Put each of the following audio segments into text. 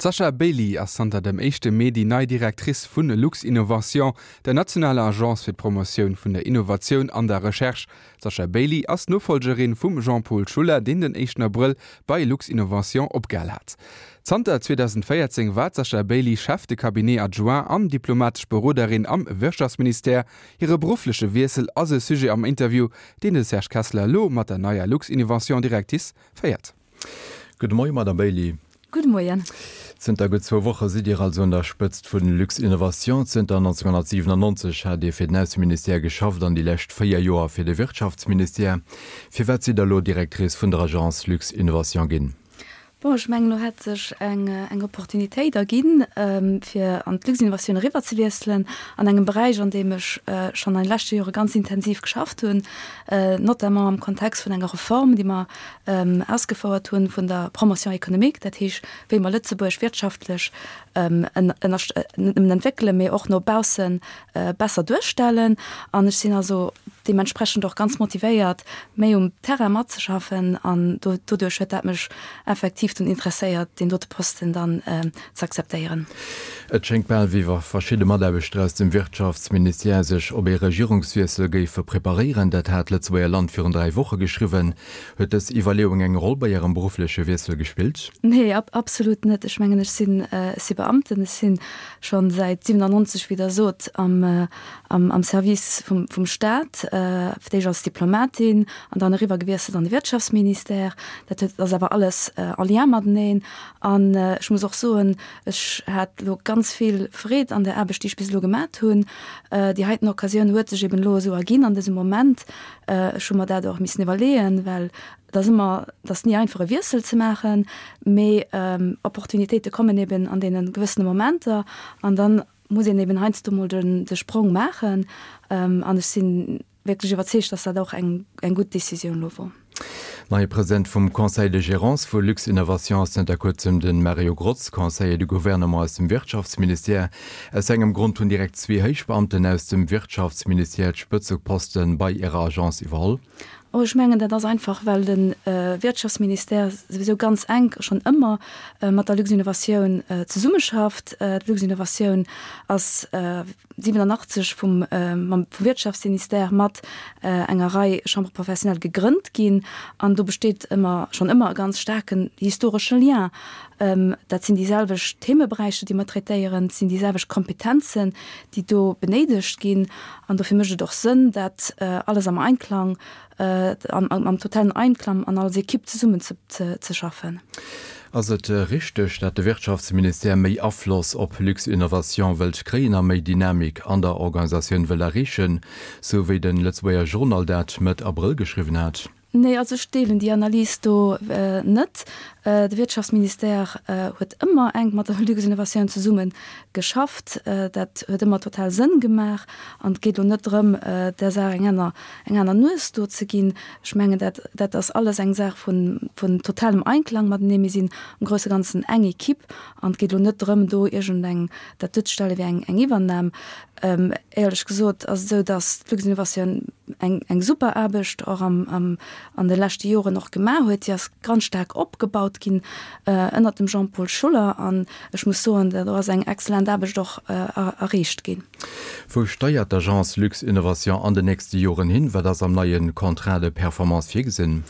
D'Sasha Bailey ass zanter dem éischte Mee déi nei Directrice vu Luxinnovation, der nationaler Agence fir d'Promotioun vun der Innovatioun an der Recherche. D'Sasha Bailey ass d'Nofollgerin vum Jean-Paul Schuller, deen den éischten Abrëll bei Luxinnovation opgehal hat. Zanter 2014 war d'Sasha Bailey Chef de Cabinet adjoint an diplomatesch Beroderin am Wirtschaftsministère. Hire beruffleche Wiessel ass e Sujet am Interview, deen de Serge Kessler elo mat der neier Luxinnovation-Directrice féiert. Gudde Moie, Madame Bailey. Gudde Moien. Zënter gutt zwou Woche sidd Dir also un der Spëtzt vun Luxinnovation. Zënter 1997 hat Dir fir den Ausseministère geschafft an déi lescht 4 Joer fir de Wirtschaftsministère. Firwat sidd Der elo Directrice vun der Agence Luxinnovation ginn? Bon, ech mengen, elo hätt sech eng eng Opportunitéit erginn, fir an d'Luxinnovation eriwwerzewiesselen, an engem Beräich, an deem ech schonn an de leschte Jore ganz intensiv geschafft hunn, notamment am Kontext vun enger Reform, déi mer ausgefouert hunn vun der Promotion économique, dat heesch, wéi mer Lëtzebuerg wirtschaftlech net nëmmen entwéckelen, mee och no bausse besser duerstellen. An ech sinn also deementsprechend och ganz motivéiert, méi um Terrain matzeschaffen. An doduerch huet dat mech effektiv dunn interesséiert, deen dote Posten dann ze akzeptéieren. Et schéngt bal, wéi wa verschidde Mataarbechter aus dem Wirtschaftsministère sech op ee Regierungswiessel géife preparéieren. Dat hat d'Lëtzebuerger Land virun 3 Woche geschriwwen. Huet dës Iwwerleeung eng Roll bei Ärem beruffleche Wiessel gespillt? Nee, absolut net. Ech mengen, ech sinn, ech si Beamten, ech sinn schonn säit 97, wéi Der sot, am, am Service vum, vum Staat, fir d'éischt als Diplomatin an dann eriwwer gewiesselt an de Wirtschaftsministère. Dat huet, ass awer alles en lien mateneen. An ech muss och soen, ech hat elo ganz vill Freed an der Aarbecht, déi ech bis elo gemat hunn. Déi heiten Occasioun huet sech eben elo esou erginn an dësem Moment. Ech hu mer dat och missen iwwerleeën, well et ass ëmmer, et ass ni einfach e Wiessel ze maachen, mee Opportunitéite kommen eben an deene gewëssene Momenter an dann muss een eben heiansdo mol de Sprong maachen. An ech si wierklech iwwerzeegt, dass dat och eng gutt Décisioun elo wor. Neie President vum Conseil de gérance vu Luxinnovation ass zënter kuerzem de Mario Grotz, Conseiller du Gouvernement aus dem Wirtschaftsministère. Aus engem Grond hunn direkt zwee Héichbeamten aus dem Wirtschaftsministère d'Spëtzeposte bei Ärer Agence iwwerholl. Oh, ech mengen, dat ass einfach, well de Wirtschaftsministère souwisou ganz enk schonn ëmmer mat der Luxinnovatioun zesummeschafft. D'Luxinnovatioun ass 87 vum mam vum Wirtschaftsministère mat enger Rei Chambres professionnelles gegrënnt ginn an do besteet ëmmer schonn ëmmer e ganz staarken historesche Lien. Dat sinn déi selwecht Themeberäicher, déi mer traitéieren, et sinn déi selwecht Kompetenzen, déi do benéidegt ginn an dofir mécht et och Sënn, dat alles am Einklang am totalen Einklang an als Equipe zesummen ze schaffen. Ass et richteg, dat de Wirtschaftsministère méi Afloss op Luxinnovation wëllt kréien a méi Dynamik an der Organisatioun wëll erreechen, sou wéi de Lëtzebuerger Journal dat Mëtt Abrëll geschriwwen hat? Nee, also ech deelen déi Analys do net. De Wirtschaftsministère huet ëmmer enk mat der Luxinnovation zesumme geschafft. Dat huet ëmmer total Sënn gemaach an et geet elo net drëm, där Saach eng aner eng aner Nues do ze ginn. Ech mengen, dat, dat ass alles eng Saach vun, vun totalem Einklang matenee. Mir sinn am grousse Ganzen eng Equipe an et geet elo net drëm, do iergendeng, dat duerzestelle wéi eng, eng Iwwernam. Éierlech gesot ass et esou, datt d'Luxinnovation eng, eng super Aarbecht och am, am, an de leschte Joren och gemaach huet. Déi ass ganz staark opgebaut ginn ënnert dem Jean-Paul Schuller an ech muss soen, do ass eng excellent Aarbecht och erreecht ginn. Wou steiert d'Agence Luxinnovation an den nächste Joren hin? Wat ass am neie Contrat de performance virgesinn?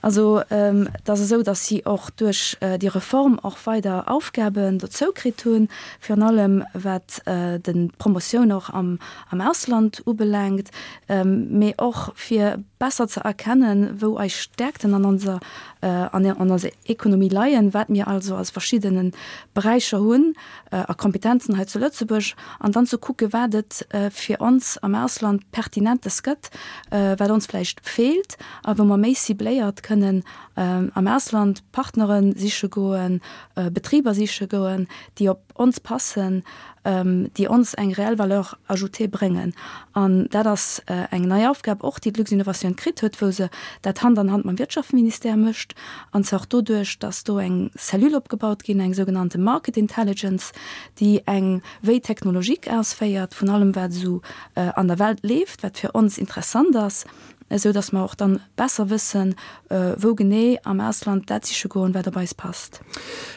Also et ass esou, datt si och duerch déi Reform och weider Aufgaben dozou kritt hunn, virun allem wat d'Promotioun och am Ausland ubelaangt, mee och fir besser ze erkennen, wou eis Stärkten an onser an eiser Ekonomie leien, wat mir also als verschiddene Beräicher hunn a Kompetenzen hei zu Lëtzebuerg an dann ze kucke wat et fir ons am Ausland Pertinentes gëtt, wat ons vläicht feelt a wou mer méi cibléiert kënnen am Ausland Partnere siche goen, Betriber siche goen, déi op ons passen, déi ons eng reell Valeur ajoutée bréngen. An dat ass eng nei Aufgab och, déi d'Luxinnovation kritt huet, wou se dat Hand an Hand mam Wirtschaftsministère mécht, an zwar och doduerch, dass do eng Cellule opgebaut ginn, eng sougenannte Market Intelligence, déi eng Veille technologique ausféiert vun allem, wat esou an der Welt leeft, wat fir ons interessant ass. esou datt mer och dann besser wëssen, wou genee am Ausland dat siche goen, wat op eis passt.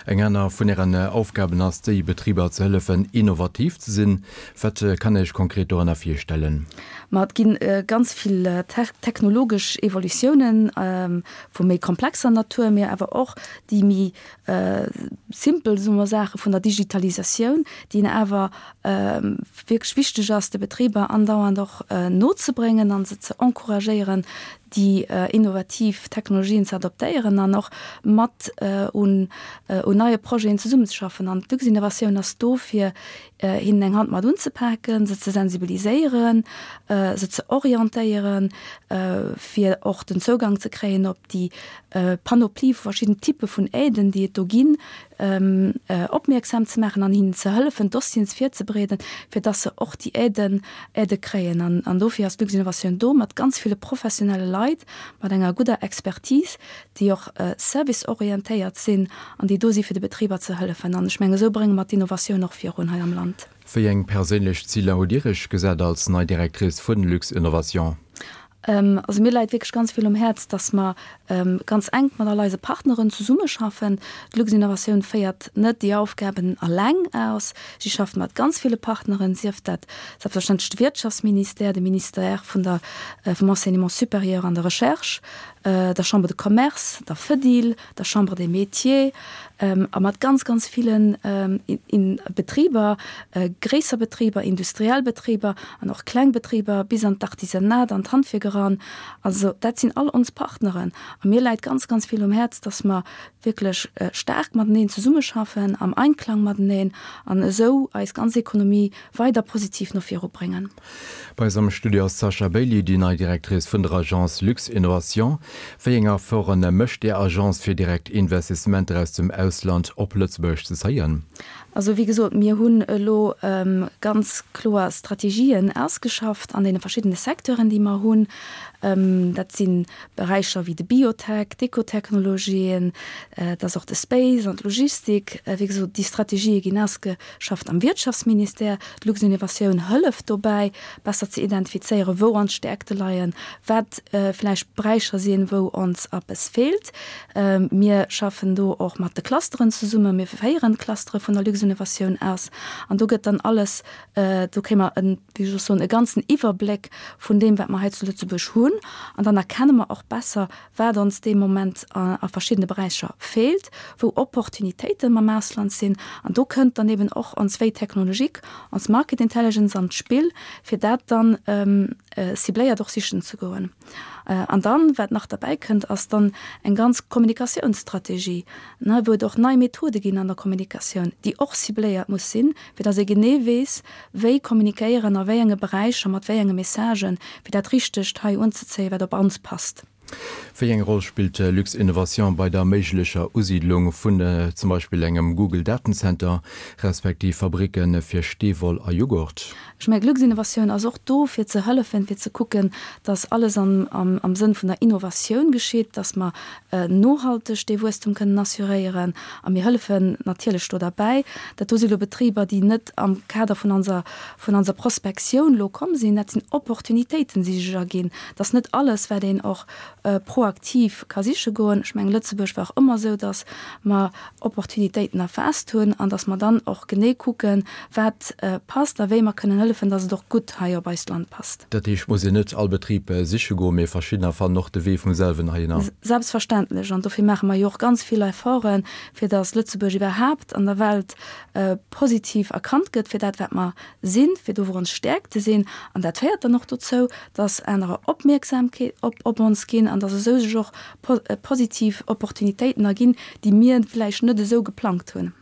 Eng aner vun Ären Aufgaben ass déi, Betriber ze hëllefen, innovativ ze sinn. Wat kann Iech konkret dorënner virstellen? Ma et gi ganz vill technologesch Evolutiounen vu méi komplexer Natur, mee awer och déi méi simpel, soe mer, Saache vun der Digitalisatioun, déi een awer wierklech wichteg ass, de Betriber andauernd och nozebréngen a se ze encouragéieren, déi innovativ Technologien ze adoptéieren an och mat un neie Projeten zesummenzeschaffen. An d'Luxinnovatioun ass do, fir hinnen eng Hand mat unzepaken, se ze sensibiliséieren, se ze orientéieren, fir och den Zougang ze kréien op déi Panoplie vu verschidden Typpe vun Aiden, déi et do ginn, opmierksam ze maachen an hinnen ze hëllefen, Dossieren virzebereeden, fir dass se och déi Aiden, Aidë kréien. An dofir ass d'Luxinnovation do mat ganz ville professionelle Leit, mat enger gudder Expertise, déi och serviceorientéiert sinn an déi do si fir de Betriber ze hëllefen. An ech mengen, esou brénge mer d'Innovatioun och virun hei am Land. Wéi eng perséinlech Ziler hutt Dir Iech gesat als nei Directrice vun Luxinnovation? Also mir läit wierklech ganz vill um Häerz, dass mer ganz enk mat all eise Partneren zesummeschaffen. D'Luxinnovation féiert net déi Aufgaben alleng aus. Si schafft mat ganz ville Partneren, sief dat selbstverständlech de Wirtschaftsministère, de Ministère vun der, vum Enseignement supérieur an der Recherche, der Chambre de Commerce, der Fedil, der Chambre des Métiers a mat ganz, ganz villen Betriber, gréisser Betriber, industriell Betriber an och kleng Betriber bis an d'Artisanat, an d'Handwierk eran. Also dat sinn all ons Partneren. A mir läit ganz, ganz vill um Häerz, dass mer wierklech staark mateneen zesummeschaffen, am Einklang mateneen an esou eis ganz Ekonomie weider positiv no viru bréngen. Bei eis am Studio ass d'Sasha Bailey, déi nei Directrice vun der Agence Luxinnovation. Wéi eng Efforte mécht Är Agence fir direkt Investissementer aus dem Ausland op Lëtzebuerg ze zéien? Also wéi gesot, mir hunn elo ganz kloer Strategien ausgeschafft an deene verschiddene Secteuren, déi mer hunn. Dat si Beräicher wéi de Biotech, d'Ecotechnologien, et ass och de Space an d'Logistik. Wéi gesot, déi Strategië ginn ausge schafft am Wirtschaftsministère. D'Luxinnovatioun hëlleft dobäi, besser ze identifizéieren, wou ons Stäerkte leien, wat vläicht Beräicher sinn, wou ons eppes feelt. Mir schaffen do och mat de Clusteren zesummen. Mir féieren d'Clustere vun der Luxinnovatioun aus an do gëtt dann alles, do kréie mer en, wéi soll ech soen, e ganzen Iwwerbléck vun deem, wat mer hei zu Lëtzebuerg hunn. An dann erkenne mer och besser, wat ons dee Moment a verschiddene Beräicher feelt, wou Opportunitéite mam Ausland sinn. An do kënnt dann eben och ons Veille technologique, ons Market Intelligence an d'Spill, fir dat dann cibléiert och sichen ze goen. An dann, wat nach derbäi kënnt, ass dann eng ganz Kommunikatiounsstrategie, wou et och nei Methode ginn an der Kommunikatioun, déi och cibléiert muss sinn, fir dass ee genee weess, wéi kommunikéieren, a wéi enge Beräicher, mat wéi enge Messagen, fir dat Richtegt hei unzezéien, wat op ons passt. Wéi eng Roll spillt Luxinnovation bei der méiglecher Usiidlung vun zum Beispill engem Google-Datencenter, respektiv Fabricke fir Steewoll a Jughurt? Ech mengen, d'Luxinnovation ass och do, fir ze hëllefen, fir ze kucken, dass alles am Sënn vun der Innovatioun geschitt, dass mer nohalteg dee Wuesstum kënnen assuréieren. A mir hëllefen natierlech do derbäi. Dat do si lo Betriber, déi net am Kader vun onser, vun onser Prospektioun lo komm sinn. Dat sinn Opportunitéiten, déi sech erginn. Et ass net alles, wat een och proaktiv ka siche goen. Ech mengen, Lëtzebuerg war och ëmmer esou, datt mer Opportunitéiten erfaasst hunn an datt mer dann och genee kucken, wat passt a wéi mer kënnen hëllefen, datt et och gutt hei op eist Land passt. Dat heescht, et muss een net all Betrib siche goen, mee verschiddener fannen och de Wee vum selwen heihinner. Selbstverständlech. An dofir maache mer jo och ganz vill Efforten, fir datt Lëtzebuerg iwwerhaapt an der Welt positiv erkannt gëtt fir dat, wat mer sinn, fir do, wou ons Stäerkte sinn. An dat féiert dann och dozou, datt anerer Opmierksamkeet op ons ginn an datt esou sech och positiv Opportunitéiten erginn, déi mir vläicht net esou geplangt hunn.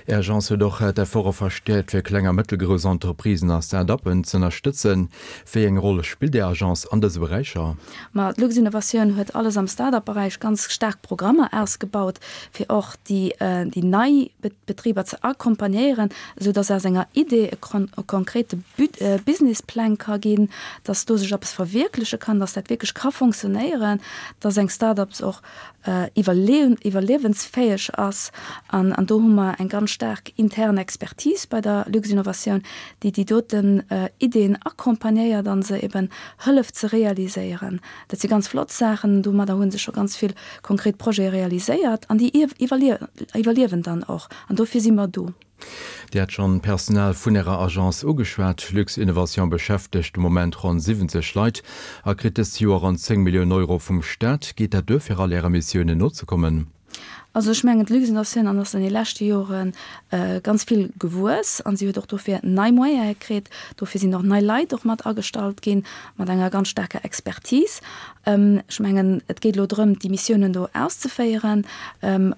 Är Agence huet och d'Efforte verstäerkt, fir kleng a mëttelgrouss Entreprisen a Start-uppen z'ënnerstëtzen. Wéi eng Roll spillt Är Agence an dëse Beräicher? Ma d'Luxinnovatioun huet alles am Start-up-Beräich ganz staark Programmer ausgebaut, fir och déi nei Betriber ze accompagnéieren, esou dass aus enger Idee e konkrete Businessplang ka ginn, dass do sech eppes verwierkleche kann, dass dat wierklech ka fonctionnéieren, dass eng Start-ups och iwwerliewensfäeg ass. An do hu mer eng ganz. staark intern Expertise bei der Luxinnovation, déi déi doten Ideeën accompagnéiert a se eben hëlleft ze realiséieren. Dat si ganz flott Saachen. Domadder hu se scho ganz vill konkret Projete realiséiert an déi iwwerliewen dann och. An dofir si mer do. Dir hat schonn d'Personal vun Ärer Agence ugeschwat. Luxinnovation beschäftegt de Moment ronn 70 Leit a kritt dëst Joer ronn 10 Milliounen Euro vum Staat. Geet dat duer, fir all Äre Missiounen nozekommen? Also ech mengen, d'Luxinnovation ass an de leschte Jore ganz vill gewuess a si huet och dofir nei Moyene kritt. Dofir sinn och nei Leit och mat agestallt ginn, mat enger ganz staarker Expertise. Ech mengen, et geet elo drëm, déi Missiounen do auszeféieren,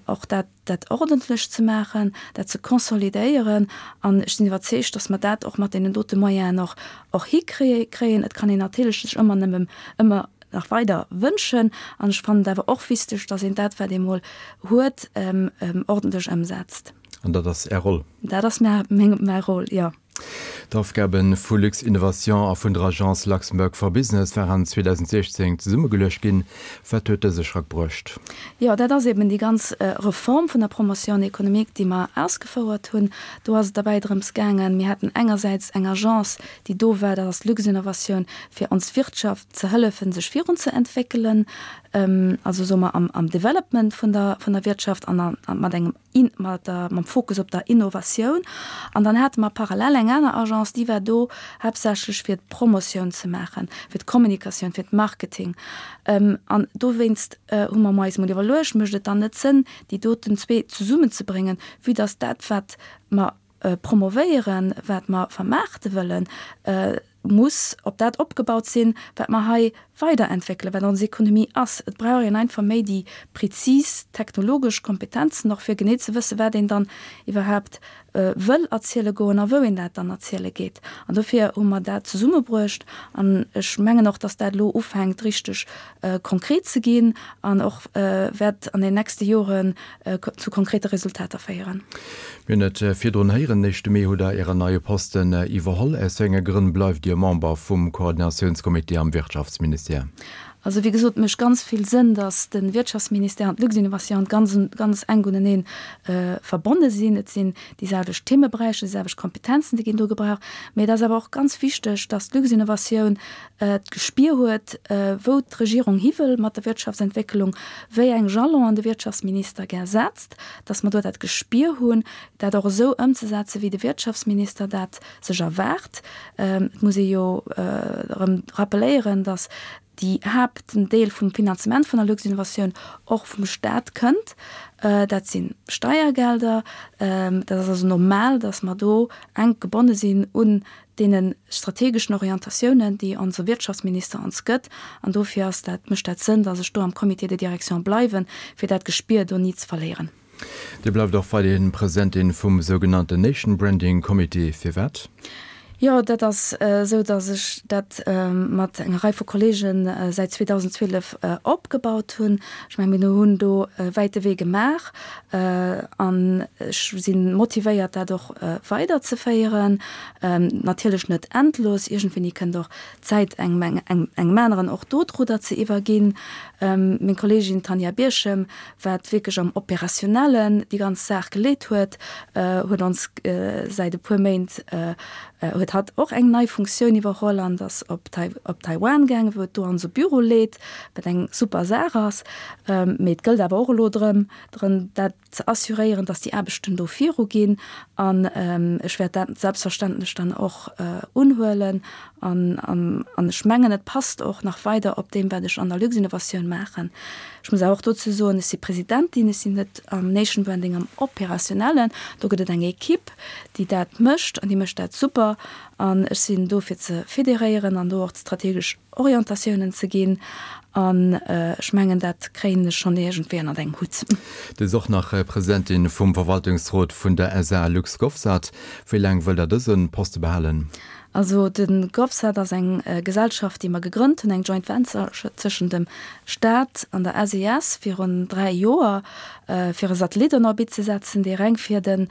och dat, dat ordentlech ze maachen, dat ze konsolidéieren. An ech sinn iwwerzeegt, datt mer dat och mat deenen dote Moyenen och, och hikréien. Et kann een natierlech sech ëmmer nëmme ëmmer nach weider wënschen. An ech fannen et awer och wichteg, datt een dat, wat ee mol huet, ordentlech ëmsetzt. An dat ass Är Roll? Dat ass mä, meng, mä Roll, jo. D'Aufgabe vu Luxinnovation a vun der Agence Luxembourg for Business waren 2016 zesummegeluecht ginn. Wat huet dëse Schrack bruecht? Jo, dat ass eben déi ganz Reform vun der Promotion économique, déi mer ausgefouert hunn. Do ass et derbäi drëms gaangen, mir haten engersäits eng Agence, déi do war, dat ass d'Luxinnovation, fir ons Wirtschaft ze hëllefen, sech virunzeentwéckelen, also soe mer am Development vun der Wirtschaft an mat engem mat der, mam Fokus op der Innovatioun. An dann hate mer parallel eng aner Agence, déi war do haaptsächlech fir d'Promotioun ze maachen, fir d'Kommunikatioun, fir d'Marketing. An dowéinst hu mer eis emol iwwerluecht, mécht et dann net Sënn, déi doten zwee zesummenzebréngen, vue dass dat, wat mer promovéieren, wat mer vermaarte wëllen, muss op dat opgebaut sinn, wat mer hei weiderentwéckelen, wat ons Ekonomie ass. Et brauch een einfach méi déi prezis technologesch Kompetenzen och, fir genee ze wëssen, wat een dann iwwerhaapt wëll erziele goen a wou een dat dann erziele geet. An dofir hu mer dat zesummebruecht. An ech mengen och, dass dat elo ufänkt richteg konkret ze ginn an och wäert an den nächste Joren zu konkrete Resultater féieren. Mir hunn et virdrun héieren, den éischte Mee hutt Der Ären neie Posten iwwerholl. Aus wéi enge Grënn bleift Dir Member vum Koordinatiounscomité am Wirtschaftsministère? Also wéi gesot, et mécht ganz vill Sënn, datt de Wirtschaftsministère an d'Luxinnovation ganz, ganz enk unenee verbonne sinn. Et sinn déi selwecht Themeberäicher, déi selwecht Kompetenzen, déi ginn do gebraucht. Mee et ass awer och ganz wichteg, datt d'Luxinnovation d'Gespier huet, wou d'Regierung hi wëll mat der Wirtschaftsentwécklung, wéi eng Jalonen de Wirtschaftsminister gär setzt, dass mer do dat Gespier hunn, dat och esou ëmzesetzen, wéi de Wirtschaftsminister dat sech erwaart. Et muss ee jo erëm rappeléieren, dass déi Haaptdeel vum Finanzement vun der Luxinnovation och vum Stat kënnt. Dat si Steiergelder. Dat ass also normal, dass mer do enk gebonne sinn un deene strategeschen Orientatiounen, déi onse Wirtschaftsminister ons gëtt. An dofir ass dat, mécht dat Sënn, dass ech do am Comité de direction bleiwen, fir dat Gespier do ni ze verléieren. Dir bleift och weiderhin Presidentin vum sougenannten Nation Branding Committee. Firwat? Jo, dat ass esou, dass ech dat mat enger Rei vu Kollege säit 2012 opgebaut hunn. Ech mengen, mir hunn do e wäite Wee gemaach an ech si motivéiert, dat och weiderzeféieren. Natierlech net endlos, iergendwéini kënnt och d'Zäit engem engem aneren och do d'Rudder ze iwwerginn. Meng Kolleegin Tanja Bierchem, wat wierklech am Operationellen déi ganz Saach geleet huet, huet ons säit e puer Méint huet hatt och eng nei Funktioun iwwerholl an ass op op Taiwan gaangen, wou et do onse Büro leet, wat eng super Saach ass. Mee et gëllt awer och elo drëm, drëm dat ze assuréieren, dass déi Aarbechten do viruginn. An ech wäert dat selbstverständlech dann och unhuelen. An, an ech mengen, et passt och nach weider op deem, wat ech an der Luxinnovation maachen. Ech muss awer och dozou soen, ech si Presidentin, ech sinn net am Nation Branding am Operationellen. Do gëtt et eng Equipe, déi dat mécht an déi mécht dat super. An ech sinn do fir ze federéieren an do och d'strategesch Orientatiounen ze ginn. An ech mengen, dat kréien ech schonn iergendwéi ënnert engem Hutt. Dir sidd och nach Presidentin vum Verwaltungsrot vun der SA LuxGovSat. Wéi laang wëllt Der dëse Poste behalen? Also de GovSat ass eng Gesellschaft, déi mer gegrënnt hunn, eng Joint Venture tëschent dem Staat an der SES virun 3 Joer, fir e Satellit en Orbit ze setzen, dee reng fir de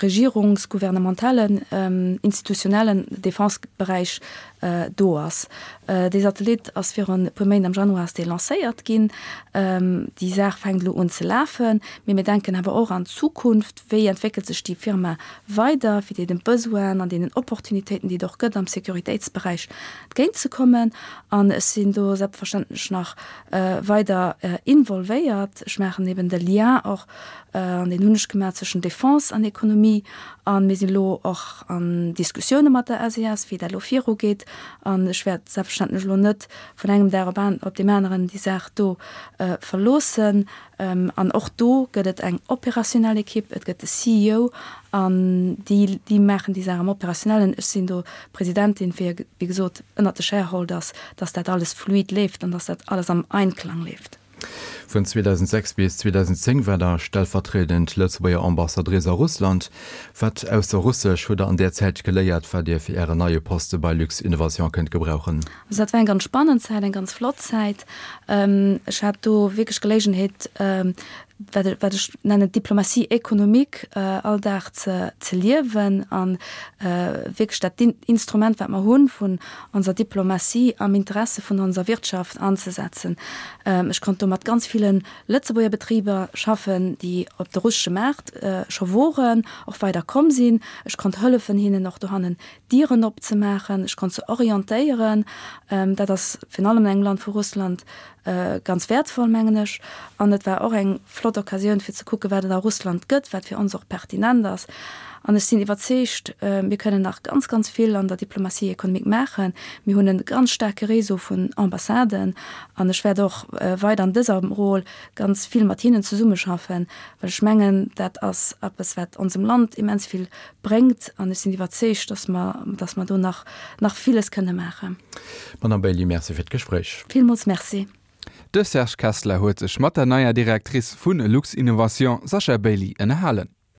regierungs-, gouvernementalen, institutionellen Defense-Beräich do ass. Dee Satellit ass virun e puer Méint, am Januar ass dee lancéiert ginn. Déi Saach fänkt elo un ze lafen, mee mir denken awer och an d'Zukunft. Wéi entwéckelt sech déi Firma weider, fir deene Besoinen an deenen Opportunitéiten, déi et och gëtt am Sécuritéitsberäich, entgéint ze kommen? An ech sinn do selbstverständlech nach weider involvéiert. Ech maachen eben de Lien och, an deen hunn ech gemaach, zwëschen Defense an Économie. A mir sinn elo och an Diskussioune mat der SES, wéi dat elo virugeet. An ech wäert selbstverständlech elo net vun engem Dag op deem aneren déi Saach do verloossen. An och do gëtt et eng operationell Ekipp, et gëtt de CEO an déi, déi maachen déi Saach am Operationellen. Ech sinn do Presidentin fir, wéi gesot, ënnert de Shareholders, dass dat alles fluid leeft an dass dat alles am Einklang leeft. Vun 2006 bis 2010 war Der stellvertriedend Lëtzebuerger Ambassadrice a Russland. Wat ausser Russesch hutt Der an där Zäit geléiert, wat Dir fir Ären neie Poste bei Luxinnovation kënnt gebrauchen? Also dat war eng ganz spannend Zäit, eng ganz flott Zäit. Ech hat do wierklech Geléigenheet, wat ech, wat ech nennen d'Diplomatie économique all Dag ze, ze liewen an wierklech dat Instrument, wat mer hunn vun onser Diplomatie am Interesse vun onser Wirtschaft anzesetzen. Ech konnt do mat ganz ville Lëtzebuerger Betriber schaffen, déi op de russesche Maart scho woren, och weider komm sinn. Ech konnt hëllefen hinnen och dohannen Dieren opzemaachen, ech konnt se orientéieren. Dat ass virun allem an engem Land wou Russland ganz wäertvoll, mengen ech. An et war och eng flott Occasioun fir ze kucken, wat et a Russland gëtt, wat fir ons och pertinent ass. An ech sinn iwwerzeegt, mir kënnen nach ganz, ganz vill an der Diplomatie économique maachen. Mir hunn e ganz staarke Réseau vun Ambassaden an ech wäert och weider an dëser Rôle ganz vill mat hinnen zesummeschaffen, well ech mengen, dat ass eppes, wat onsem Land immens vill bréngt an ech sinn iwwerzeegt, dass mer, dass mer do nach, nach villes kënne maachen. Madame Bailly, Merci fir d'Gespréich. Villmools Merci. De Serge Kessler huet sech mat der neier Directrice vu Luxinnovation, Sascha Bailey, ënnerhalen.